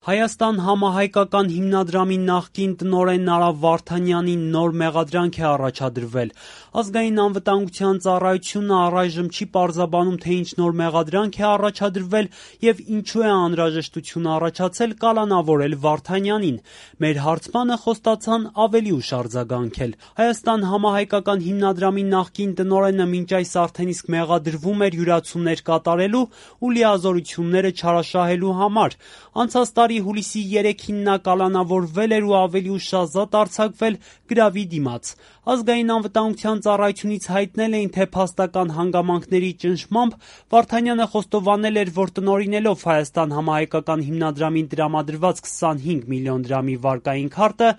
Հայաստան համահայկական հիմնադրամի նախկին տնօրեն Արա Վարդանյանին նոր մեղադրանք է առաջադրվել։ Ազգային անվտանգության ծառայությունը առայժմ չի պարզաբանում, թե ինչ նոր մեղադրանք է առաջադրվել եւ ինչու է անհրաժեշտություն առաջացել կալանավորել Վարդանյանին։ Մեր հարցմանը խոստացան ավելի ուշ արձագանքել։ Հայաստան համահայկական հիմնադրամի նախկին տնօրենը մինչ այս արդեն իսկ մեղադրվում էր յուրացումներ կատարելու ու լիազորությունները չարաշահելու համար։ Անցած տարի հուլիսի 3-ին նա կալանավորվել էր ու ավելի ուշ ազատ արձակվել գրավի դիմաց։ Ազգային անվտանգության ծառայությունից հայտնել էին, թե փաստական հանգամանքների ճնշմամբ Վարդանյանը խոստովանել էր, որ տնօրինելով Հայաստան համահայկական հիմնադրամին տրամադրված 25 միլիոն դրամի վարկային քարտը,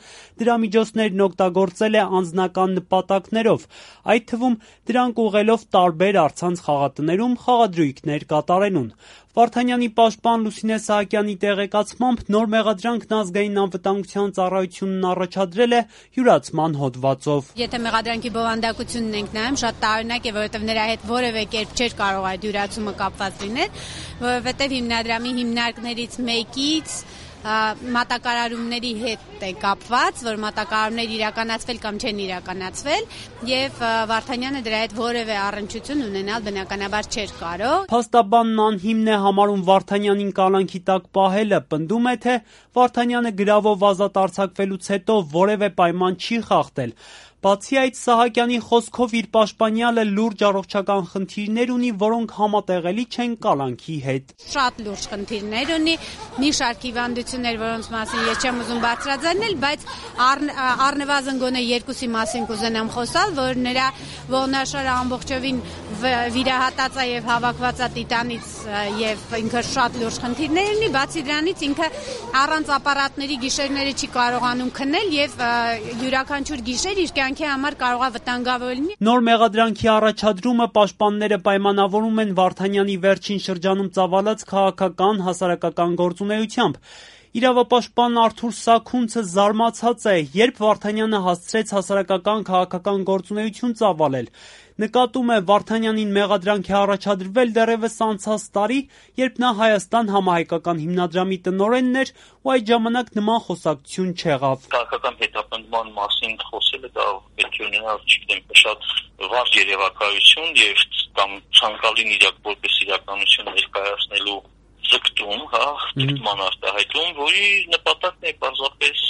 դրա միջոցներն օգտագործել է անձնական նպատակներով, այդ թվում դրանք ուղղելով տարբեր առցանց խաղատներում խաղադրույքներ կատարելուն։ Վարդանյանի պաշտպան Լուսինե Սահակյանի տեղեկացմամբ նոր մեղադրանքն ազգային անվտանգության ծառայությունն առաջադրել է յուրացման հոդվածով։ Եթե մեղադրանքի բովանդակությունն ենք նայում, շատ տարօրինակ է, որովհետև նրա հետ որևէ կերպ չէր կարող այդ յուրացումը կապված լինել, որովհետև հիմնադրամի հիմնարկներից մեկից մատակարարումների հետ է կապված, որ մատակարարումներ իրականացվել կամ չեն իրականացվել, եւ Վարդանյանը դրա հետ որևէ առնչություն ունենալ բնականաբար չէր կարող։ Փաստաբանն անհիմն է համարում Վարդանյանին կալանքի տակ պահելը, պնդում է, թե Վարդանյանը գրավով ազատ արձակվելուց հետո որևէ պայման չի խախտել։ Բացի այդ, Սահակյանի խոսքով իր պաշտպանյալը լուրջ առողջական խնդիրներ ունի, որոնք համատեղելի չեն կալանքի հետ։ Շատ լուրջ խնդիրներ ունի, մի շարք հիվանդություններ, որոնց մասին ես չեմ ուզում բարձրաձայնել, բայց առնվազն գոնե երկուսի մասին կուզենամ խոսալ, որ նրա ողնաշարը ամբողջովին վիրահատած է եւ հավաքված է տիտանից եւ ինքը շատ լուրջ խնդիրներ ունի, բացի դրանից ինքը առանց ապարատների գիշերները չի կարողանում քնել եւ յուրաքանչյուր գիշեր իր կյանքի համար կարող է վտանգավոր լինի։ Նոր մեղադրանքի առաջադրումը պաշտպանները պայմանավորում են Վարդանյանի վերջին շրջանում ծավալած քաղաքական հասարակական գործունեությամբ։ Իրավապաշտպան Արթուր Սաքունցը զարմացած է, երբ Վարդանյանը հասցրեց հասարակական քաղաքական գործունեություն ծավալել։ Նկատում է, Վարդանյանին մեղադրանք է առաջադրվել դեռևս անցած տարի, երբ նա Հայաստան համահայկական հիմնադրամի տնօրենն էր ու այդ ժամանակ նման խոսակցություն չեղավ։ Քաղաքական հետապնդման մասին խոսելը դա պետք է ունենալ, չգիտեմ, շատ վաղ երևակայություն եւ կամ ցանկալի որպես իրականություն ներկայացնելու ձգտում, ձգտման արտահայտում, որի նպատակն է պարզապես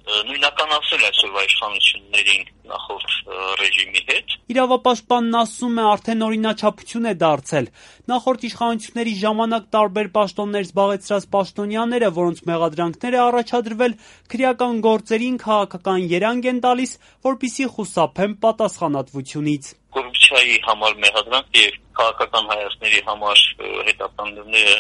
նույնականացնել այսօրվա իշխանություններին նախորդ ռեժիմի հետ։ Իրավապաշտպանն ասում է, արդեն օրինաչափություն է դարձել։ Նախորդ իշխանությունների ժամանակ տարբեր պաշտոններ զբաղեցրած պաշտոնյաները, որոնց մեղադրանքներ է առաջադրվել, քրեական գործերին քաղաքական երանգ են տալիս, որպեսզի խուսափեն պատասխանատվությունից։ Կոռուպցիայի համար մեղադրանք եւ քաղաքական հայացքների համար հետապնդումները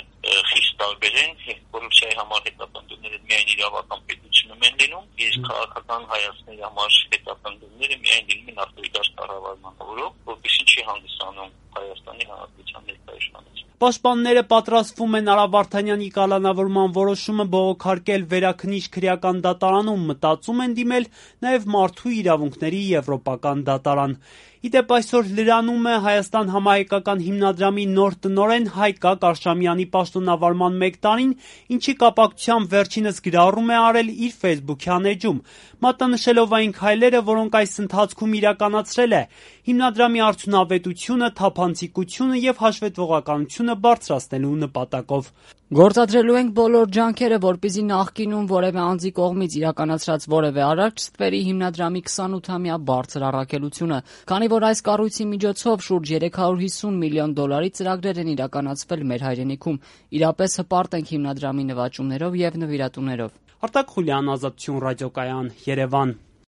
խիստ տարբեր են։ Կոռուպցիայի համար հետապնդումները միայն իրավական պետությունում են լինում, իսկ քաղաքական հայացքների համար հետապնդումները միայն լինում են ավտորիտար կառավարման օրոք, որպեսզի չի հանդիսանում Հայաստանի Հանրապետության ներկայացուցիչները։ Պաշտպանները պատրաստվում են Արա Վարդանյանի կալանավորման որոշումը բողոքարկել Վերաքննիչ քրեական դատարանում, մտածում են դիմել նաև Մարդու իրավունքների եվրոպական դատարան։ Իդեպ այսօր լրանում է Հայաստան համահայկական հիմնադրամի նոր տնօրեն Հայկա Կարշամյանի պաշտոնավարման 1 տարին, ինչի կապակցությամբ վերջինս գրառում է արել իր ֆեյսբուքյան էջում, մատնանշելով այն քայլերը, որոնք այս ընթացքում իրականացրել է, հիմնադրամի արդյունավետությունը, թափանցիկությունը եւ հաշվետվողականությունը բարձրացնելու նպատակով։ Գործադրելու ենք բոլոր ջանքերը, որպեսզի նախկինում որևէ անձի կողմից իրականացրած որևէ արարք ստվերի հիմնադրամի 28-ամյա բարձր առաքելությունը, քանի որ այս կառույցի միջոցով շուրջ 350 միլիոն դոլարի ծրագրեր են իրականացվել մեր հայրենիքում, իրապես հպարտ ենք հիմնադրամի նվաճումներով եւ նվիրատուներով։ Արտակ Խուլյան, Ազատություն ռադիոկայան, Երևան։